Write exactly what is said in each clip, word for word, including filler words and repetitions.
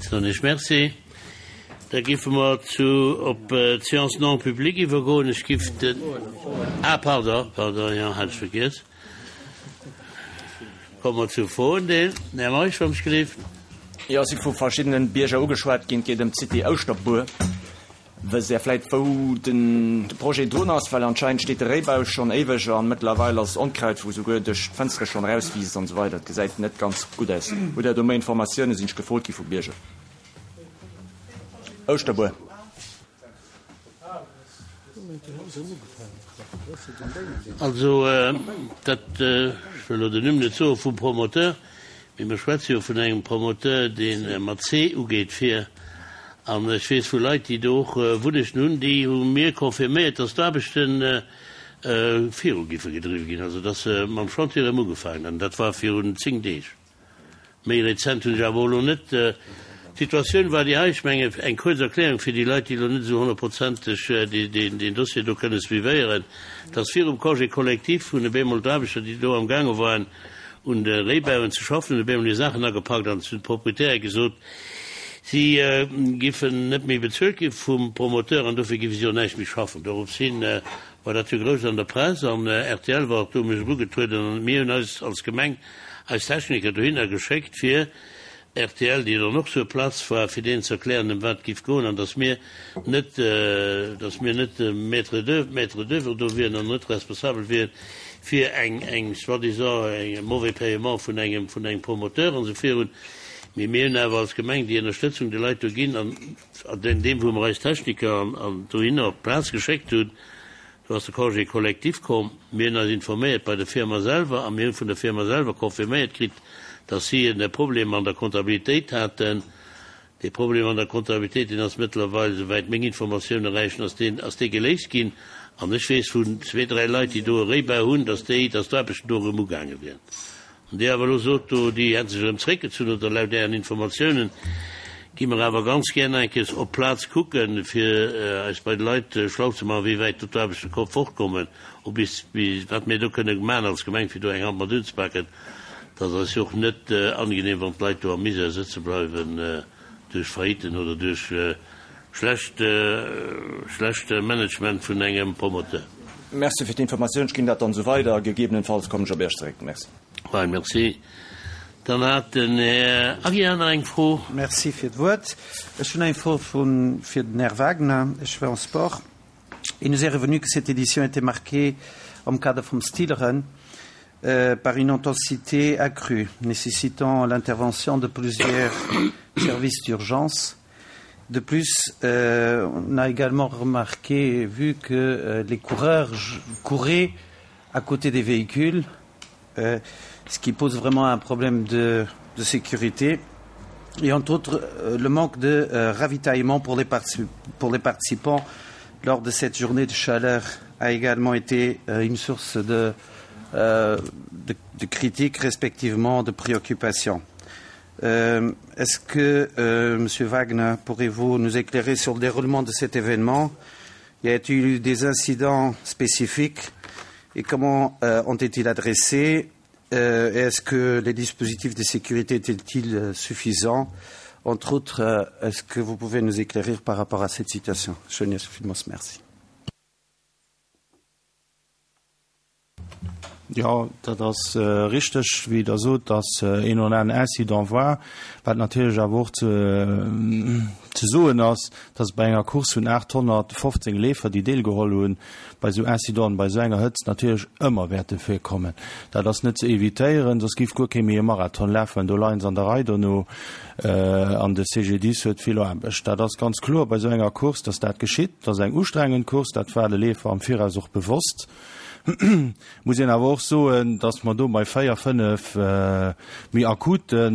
Soen ech Merci. Da giffe mer zu op d'Séance non publique iwwergoen. Ech giff den, ah pardon, pardon, jo, hat ech vergiess. Komme mer zum Froendeel. Den Här Meisch, wann ech gelift. Jo, si vu verschiddenen Bierger ugeschwat ginn. Et geet ëm d'Cité Ouschterbuer. Wësst Där vläit, wou de Projet drun ass? Well anscheinend steet de Réibau schonn éiweg an mëttlerweil ass Onkraut, wou souguer duerch d'Fënstere schonn erauswiisst an esou weider. Et gesäit net ganz gutt aus. Hutt Där do méi Informatiounen? Sinn ech gefrot gi vu Bierger. Ouschterbuer. Also, dat, ech wëll elo den Numm net soe vum Promoteur, mee mer schwätze jo vun engem Promoteur, dee mat C ugeet, fir, an ech weess vu Leit, déi do och Wunnechten hunn, déi hu mir confirméiert, dass d'Aarbechte viru giffe gedriwwe ginn, also dass se mam Chantier erëm ugefaangen hätten. Dat war virun zéng Deeg. Méi rezent hunn ech awer och elo net. D'Situatioun war déi hei, ech mengen, eng kuerz Erklärung fir déi Leit, déi elo net esou honnertprozenteg deen Dossier do kënne suivéieren, dass virum Congé collectif hunn op eemol d'Aarbechter, déi do amgaange waren un de Réibauen ze schaffen, hunn op eemol hir Saachen agepakt an zu de Proprietäre gesot, si giffen net méi bezuelt gi vum Promoteur an dofir giffe si och näischt méi schaffen. Dorops hin war dat jo grouss an der Press an rtl war och do u mech erugetrueden an mir hunn eis als Gemeng eis Techniker dohinner geschéckt fir rtl, déi dann och sur place war, fir deenen ze erklären, ëm wat et géif goen an dass mir net, dass mir net Maître d'oeuvre, Maître d'oeuvre do wieren an net responsabel wieren fir eng, eng soi-disant eng mauvais paiement vun engem, vun engem Promoteur an esou virun. Mee mir hunn awer als Gemeng déi Ënnerstëtzung de Leit do ginn an an deem, wou mer eis Techniker an, an dohinner op d'Plaz geschéckt hunn, Do ass de Congé collectif komm. Mir hunn eis informéiert bei der Firma selwer a mir hu vun der Firma selwer confirméiert kritt, dass si e Problem an der Comptabilitéit haten. Dee Problem an der Comptabilitéit, deen ass mëttlerweil, esouwäit meng Informatioune räichen, ass deen, ass dee geléist ginn. An ech weess vun zwee, dräi Leit, déi do e Réibau hunn, dass déi, dass d'Aarbechten do erëm ugaange wieren. An Dir awer elo sot do, déi hätte sech erëm zréckgezunn, oder laut Ären Informatiounen, gi mer awer ganz gär nach eng Kéiers op d'Plaz kucken, fir eis bei de Leit schlau ze maachen, wéi wäit do d'Aarbechte ko fortkommen, ob bis, wat mir do kënne maachen als Gemeng, fir do eng Hand mat unzepaken. Et ass eis jo och net angenehm, wann d'Leit do am Misär sëtze bleiwen duerch Failliten oder duerch schlecht, schlecht Management vun engem Promoteur. Merci fir d'Informatioun. Ech ginn dat dann esou weider a gegebenenfalls kommen ech op Iech zeréck. Merci. Fine, merci. Dann hat den Här Aguiar nach eng Fro. Merci fir d'Wuert. Ech hunn eng Fro fir den Här Wagner. Ech war en Sport. Il nous est revenu que cette édition était marquée am Kader vum Stileren par une intensité accrue, nécessitant l'intervention de plusieurs services d'urgence. De plus, euh, on a également remarqué, vu que euh, les coureurs couraient à côté des véhicules, euh, ce qui pose vraiment un problème de, de sécurité, et entre autres euh, le manque de euh, ravitaillement pour les, pour les participants lors de cette journée de chaleur a également été euh, une source de, euh, de, de critiques, respectivement de préoccupations. Euh, Est-ce que, euh, Monsieur Wagner, pourrez-vous nous éclairer sur le déroulement de cet événement Y a-t-il eu des incidents spécifiques et comment euh, ont été adressés euh, Est-ce que les dispositifs de sécurité étaient-ils euh, suffisants Entre autres, euh, est-ce que vous pouvez nous éclairer par rapport à cette situation Merci. Jo, dat ass richteg, wéi Der sot, dass een oder aneren Incident war. Wat natierlech awer och ze soen ass, dass et bei enger Course vun aathonnertfofzéng Leefer, déi deelgeholl hunn, bei esou Incidenten, bei esou enger Hëtzt natierlech ëmmer wäerte virkommen. Dat ass net ze evitéieren, soss géif guer kee méi e Marathon lafen. Do leie se an der Rei dono an de C G D I S huet vill Aarbecht. Dat ass ganz kloer bei esou enger Course, dass dat geschitt. Dat ass eng ustrengend Course, dat war de Leefer am Viraus och bewosst. Muss een awer och soen, dass mer do bei véier, fënnef méi akute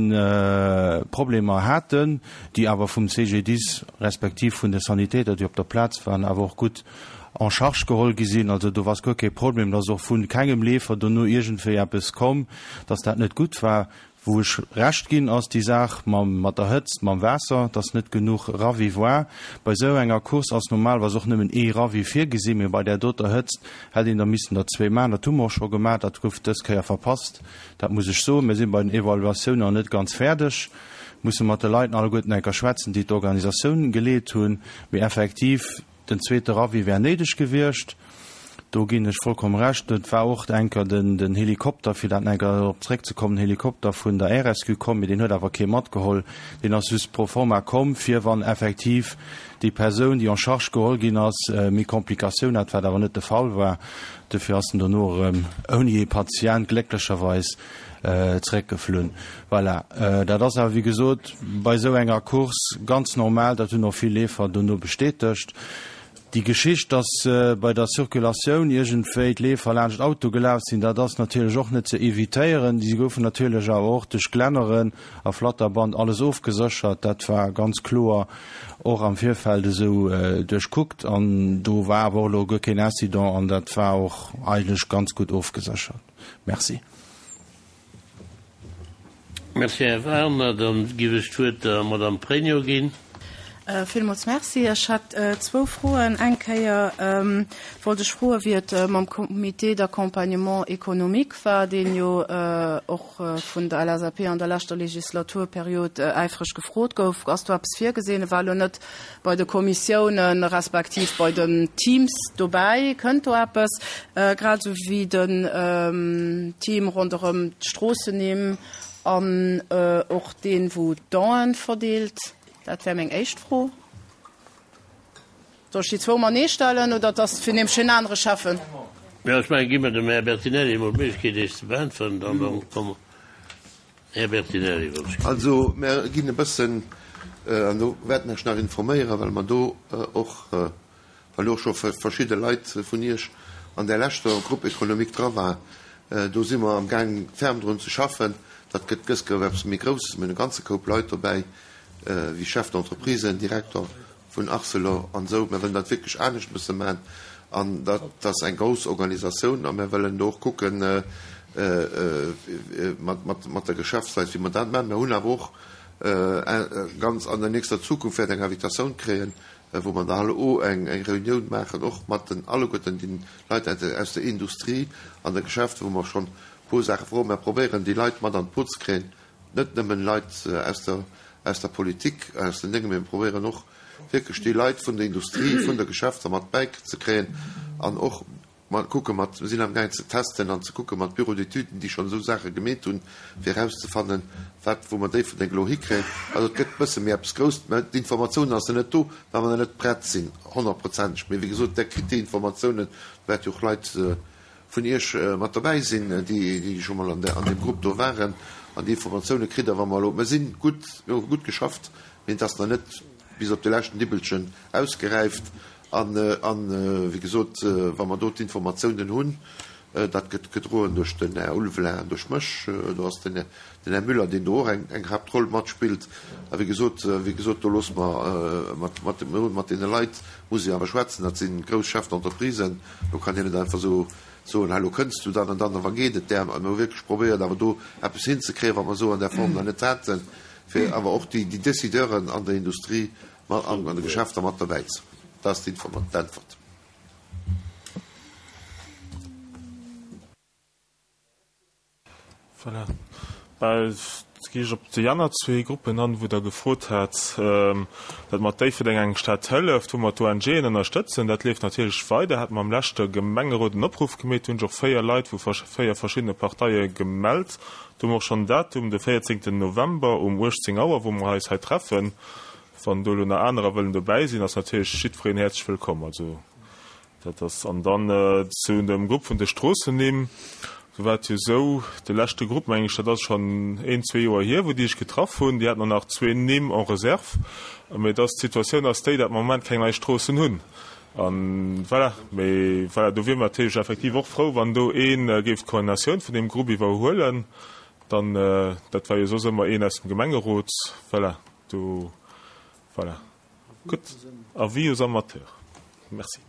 Problemer haten, déi awer vum C G D I S respektiv vun de Sanitäter, déi op der Plaz waren, awer och gutt en charge geholl gi sinn. Also do war guer kee Problem, dass och vu kengem Leefer dono iergendwéi eppes komm, dass dat net gutt war. Wou ech Recht ginn, ass déi Saach mam, mat der Hëtzt, mam Waasser, dass net genuch Ravi war. Bei esou enger Course ass normalerweis och nëmmen ee Ravi virgesinn, mee bei där doter Hëtzt hätt een der missen der zwee maachen. Dat hu mer och scho gemaach, dat gouf dës Kéier verpasst, dat muss ech soen. Mir si bei den Evaluatiounen nach net ganz fäerdeg. Musse mat de Leit alleguerten eng Kéier schwätzen, déi d'Organisatioun geleet hunn. Mee effektiv, den zweete Ravi wär néideg gewiescht. Do ginn ech vollkomm Recht. Et war och eng Kéier den, den Helikopter, fir dat eng Kéier drop zréckzekommen, Helikopter vun der R S Q komm, mee deen huet awer kee matgeholl. Deen ass just pro forma komm, fir wann effektiv déi Persoun, déi en charge geholl ginn ass, méi Komplikatioun hat, wat awer net de Fall war. Dofir ass en dono erëm ouni ee Patient glécklecherweis zréckgeflunn. Voilà. Dat ass awer, wéi gesot, bei esou enger Course ganz normal. Dat hunn och vill Leefer dono bestätegt. Déi Geschicht, dass bei der Circulatioun iergendwéi d'Leefer laanscht Auto gelaf sinn, dat ass natierlech och net ze evitéieren. Déi goufen natierlech awer och duerch Glänneren a Flatterband alles ofgeséchert. Dat war ganz kloer och am Virfeld esou duerchkuckt an do war awer och elo guer keen Incident an dat war och eigentlech ganz gutt ofgeséchert. Merci. Merci, Här Werner. Dann giff ech d'Wuert der Madame Pregno ginn. Villmools Merci. Ech hätt zwou Froen. Eng Kéier wollt ech froen, wéi et mam Comité d'accompagnement économique war, deen jo och vun der L S A P an der leschter Legislaturperiod äifreg gefrot gouf. Ass do eppes virgesinn? E war elo net bei de Kommissiounen respektiv bei den Teams dobäi. Kënnt do eppes? Grad esou wéi den Team ronderëm d'Stroossennimm an och deen, wou d'Donen verdeelt. Dat wär meng éischt Fro. Soll ech déi zwou matenee stellen oder dass fir nämlech en anere Schäffen? Jo, ech mengen, gi mer dem Här Bertinelli emol d'Méiglechkeet, éischt ze beäntweren, dann dann komme. Här Bertinelli, wann ech. Also, mer ginn e bëssen, an do wäerte mer iech nach informéieren, well mer do och, well och scho verschidde Leit vun iech an där leschter Groupe économique dra war, do si mer amgaang ferm drun ze schaffen. Dat gëtt gëss gouf eppes méi Grousses, mir hunn e ganze Koup Leit dobäi, wéi Chef d'entreprise, Direkter vun Arcelor an esou. Mir wëllen dat wierklech anescht e bësse maachen an dat ass eng grouss Organisatioun a mir wëllen do och kucken mat, mat, mat der Geschäftsleit, wéi mer dat maachen. Mir hunn awer och ganz an der nächster Zukunft wäert eng Invitatioun kréien, wou mer da och eng, eng Reunioun maachen, och mat den alleguerten den Leit aus der Industrie an der Geschäft, wou mer schonn e puer Saache froen. Mir probéieren, déi Leit mat an d'Boot ze kréien, net nëmmen Leit aus der, aus der Politik, aus den Déngen, mee mir probéieren och wierklech déi Leit vun der Industrie, vun der Geschäfter mat bäizekréien an och mat kucke mat, mir sinn amgaang ze testen an ze kucke mat Bureaux d'études, déi schonn esou Saache gemeet hunn, fir erauszefannen, wat, wou mer Déifferdeng elo hikréien. Also et gëtt e bësse méi eppes Grousst, mä d'Informatioun ass nach net do, well mer nach net prett sinn, honnertprozenteg. Mee wéi gesot, Der kritt déi Informatiounen, do wäerte jo och Leit vun Iech mat dobäi sinn, déi, déi scho mol an der, an deem Grupp do waren, an déi Informatioune kritt Der, wa mer elo, mer sinn gutt, mir hu gutt geschafft, mee et ass nach net bis op de leschten Dibbelchen ausgeräift. An, an wéi gesot, wa mer do d'Informatiounen hunn, dat gëtt gedroen duerch den Här Ulveling an duerch mech, do ass den, den Här Müller, deen do och eng, eng Haaptroll matspillt. A wéi gesot, wéi gesot, do loosse mer mat, mat, mat deene Leit muss ee awer schwätzen, dat si grouss Chefs d'entreprisen, do kann een net einfach esou soen, hei lo kënns du dann an dann a wa geet et där. Mir hu wierklech probéiert awer do eppes hinzekréien, wat mer esou an där Form nach net haten, fir awer och déi, déi Décideuren an der Industrie mat an an de Geschäfter mat derbäi ze hunn. Dat ass d'Äntwert. Voilà. Bah, gi ech op déi aner zwee Gruppen an, wou Der gefrot hat, datt mat Déifferdeng eng Stad hëlleft, wou mer d'O N G'en ënnerstëtzen. Dat leeft natierlech weider. Hat mer am leschte Gemengerot en Opruff gemeet, hunn sech och véier Leit vu véier verschiddene Parteie gemellt. Do hu mer och schonn en Datum, de véierzéngten November um uechtzéng Auer, wou mer eis hei treffen. Wann do elo nach anerer wëllen dobäi sinn, ass natierlech jiddwereen häerzlech wëllkomm. Also dat ass an dann zu dem Grupp vun de Stroossennimm. Do war et jo esou, de leschte Grupp, meng ech, dat ass schonn een, zwee Joer hier, wou déi sech getraff hunn, déi haten och nach zwee Nimm en réserve. Mee dass d'Situatioun ass déi, datt mer am Moment keng nei Stroossen hunn. An voilà, mee voilà, do wiere mer natierlech effektiv och frou, wann do ee géif d'Koordinatioun vun deem Grupp iwwerhuelen. Dann, dat war jo soss ëmmer een aus dem Gemengerot. Voilà, do, voilà. Gutt. Avis aux amateurs. Merci.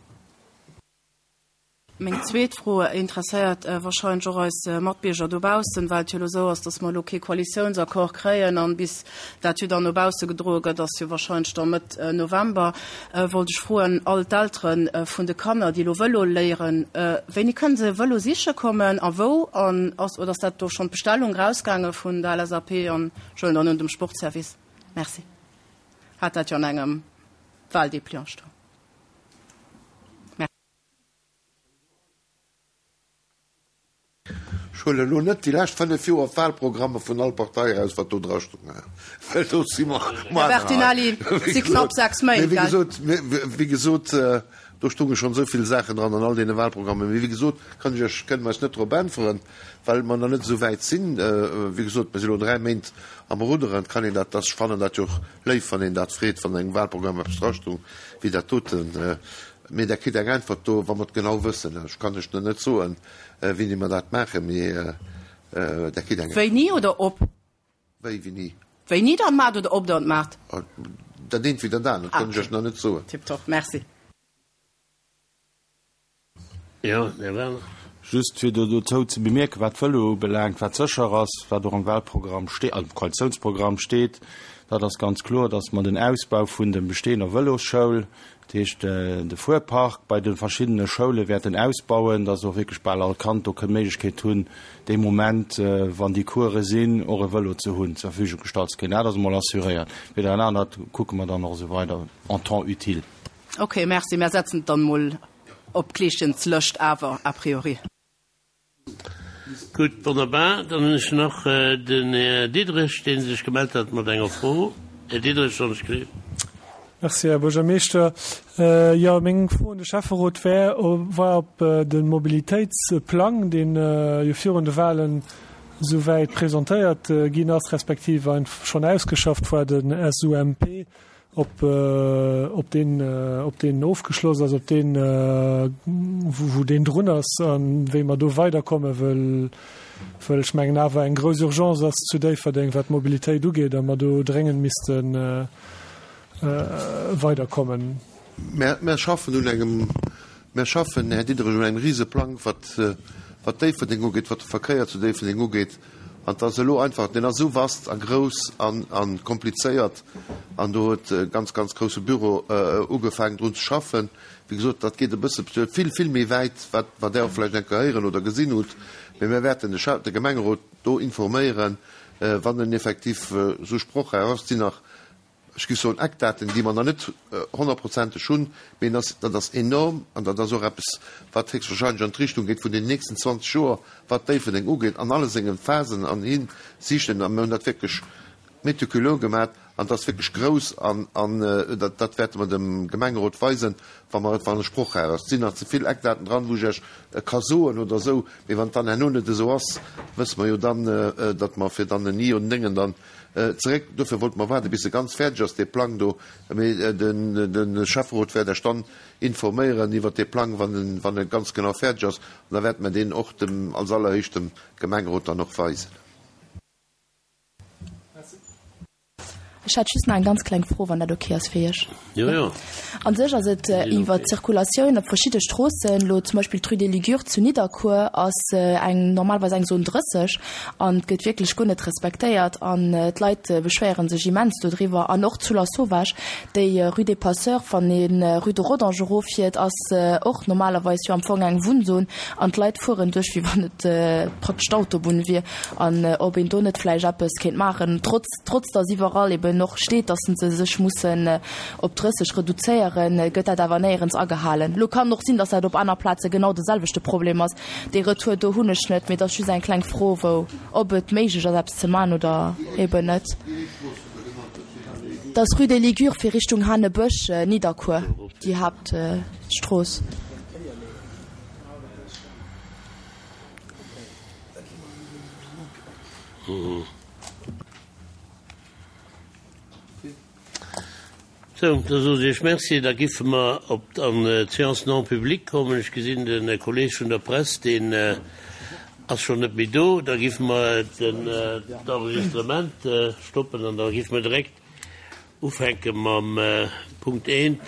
Meng zweet Fro interesséiert wahrscheinlech och eis Matbierger dobaussen, well et jo elo esou ass, dass mer elo kee Koalitiounsaccord kréien an bis dat jo dann no bausse gedroe gëtt, ass jo wahrscheinlech da Mëtt November. Wollt ech froen, all d'Eltere vun de Kanner, déi elo Vëlo léieren, wéini kënne se Vëlo siche kommen a wou an ass, oder ass dat do schonn d'Bestellung rausgaange vun der L S A P an ech huelen dann un dem Sportservice? Merci. Hat dat jo an engem Wahldépliant stoen. Ech huelen elo net déi lescht fënnef Joer d'Wahlprogramme vun all Partei eraus, wat do dra stoung, well do si mer Här Bertinelli, et si knapp sechs Méint, gell? Mee wéi gesot, do stounge schonn esou vill Saachen dran an all deene Wahlprogrammen. Mee wéi gesot, kann ech Iech, kënne mer eis net drop äntweren, well mer nach net esou wäit sinn. Wéi gesot, mer si elo dräi Méint am Rudderen. Et kann een dat, ech fannen dat jo och léif, wann een dat freet, wann an engem Wahlprogramm eppes drastoung wéi dat doten. Mee Der kritt eng Äntwert do, wa mer et genau wëssen. Ech kann lech nach net soen, wéini mer dat maachen, mee Der kritt eng Äntwert. Wéini oder ob? Wéi, wéini? Wéini Der et maacht oder ob Der et maacht? Dat eent wéi dat anert kann ech lech nach net soen. Tiptop, merci. Jo, Här Werner. Just fir do dozou ze bemierken, wat d'Vëlo ubelaangt, wat sécher ass, wat och am Wahlprogramm steet, am Koalitiounsprogramm steet, dat ass ganz kloer, dass mer den Ausbau vun der bestehender Vëlosschoul, dat heescht de Fuerpark bei de verschiddene Schoule wäerten ausbauen, dass och wierklech bal all Kand do kënn d'Méiglechkeet hunn, dee Moment, wann déi Course sinn, och e Vëlo ze hunn, zur Verfügung gestallt ze kréien. Dat ass emol assuréiert. Fir dat anert kucke mer dann och esou weider en temps utile. Okay, merci. Mer setzen et dann emol op d'Kleeschens Lëscht awer a priori. Gutt, wonnerbar. Dann hunn ech nach den Här Diderich, dee sech gemellt hat mat enger Fro. Här Diderich, wann ech gleef. Merci, Här Buergermeeschter. Jo, meng Fro un de Schäfferot wär, war ob de Mobilitéitsplang, deen jo virun de Wahlen esouwäit presentéiert ginn ass, respektiv schonn ausgeschafft war, den S U M P, ob, ob deen, ob deen ofgeschloss ass, ob deen, wou, wou deen drun ass an wéi mer do weiderkommen, wëll, wëll ech mengen awer eng grouss Urgence ass zu Déifferdeng, wat d'Mobilitéit ugeet, a mer do dréngend missten weiderkommen. Mer, mer schaffen un engem, mer schaffen, Här Diderich, un engem Riseplang, wat, wat Déifferdeng ugeet, wat de Verkéier zu Déifferdeng ugeet. An et ass elo einfach, deen ass esou vast a grouss an, a komplizéiert, an do huet e ganz, ganz grousse Büro ugefaangen drun ze schaffen. Wéi gesot, dat geet e bësse vill, vill méi wäit, wat, wat Der och vläicht eng Kéier héieren oder gesinn hutt. Mee mir wäerten de Schä-, de Gemengerot do informéieren, wann en effektiv esou sprochräif ass. Et sinn nach, ech géif soen, Eckdaten, déi mer nach net honnertprozenteg hunn, mee en ass, dat ass enorm an dat ass och eppes, wat héchstwahrscheinlech an d'Richtung geet vun den nächsten zwanzeg Joer, wat Déifferdeng ugeet, an alle sengen Phasen an Hinsichten. A mir hunn dat wierklech méticuleux gemaach an dat ass wierklech grouss an, an dat, dat wäerte mer dem Gemengerot weisen, wa mer, wann e sprochräif ass. Et sinn nach ze vill Eckdaten dran, wou ech Iech ka soen oder esou, mee wann et dann herno net esou ass, wësse mer jo dann, datt mer fir dann en I und Déngen dann zeréck. Dofir wollte mer waarden, bis e ganz fäerdeg ass, dee Plang do. Mee de Schäfferot wäert Iech dann informéieren iwwert dee Plang, wann en, wann e ganz genau fäerdeg ass. An da wäerte mer deen och dem, als allerhéischtem Gemengerot dann och weisen. Ech hätt just nach eng ganz kleng Fro, wann dat ok ass fir Iech. Jo, jo. An sech ass et iwwer d'Zirkulatioun op verschidde Stroossen, elo zum Beispill d'Rue des Ligures zu Nidderkuer ass eng normalerweis eng Zone drësseg an et gëtt wierklech guer net respektéiert an d'Leit beschwéiere sech immens dodriwwer. An och zu Lasauvage, déi Rue des Passeurs, wann ee Rue de Rodange eroffiert, ass och normalerweis jo am Fong eng Wunnzon an d'Leit fueren duerch, wéi wann et praktesch d'Autobunn wier. An ob een do net vläicht eppes kéint maachen, trotz, trotz datt iwwerall eben noch steet, dass se sech mussen op drësseg reduzéieren, gëtt dat awer néierens agehalen. Lo kann och sinn, dass dat op aner Plaze genau de selwechte Problem ass. Dee Retour do hunn ech net, mee dat ass just eng kleng Fro, wou ob et méiglech ass eppes ze man oder eben net. Dat ass Rue des Ligures fir Richtung Hanebësch, Nidderkuer, déi Haaptstrooss. Sou, da soe ech Iech Merci. Da giffe mer op an d'Séance non publique kommen. Ech gesinn de Kolleg vun der Press, deen ass schonn net méi do. Da giffe mer den d'Enregistrement stoppen an da giffe mer direkt ufänke mam Punkt eent.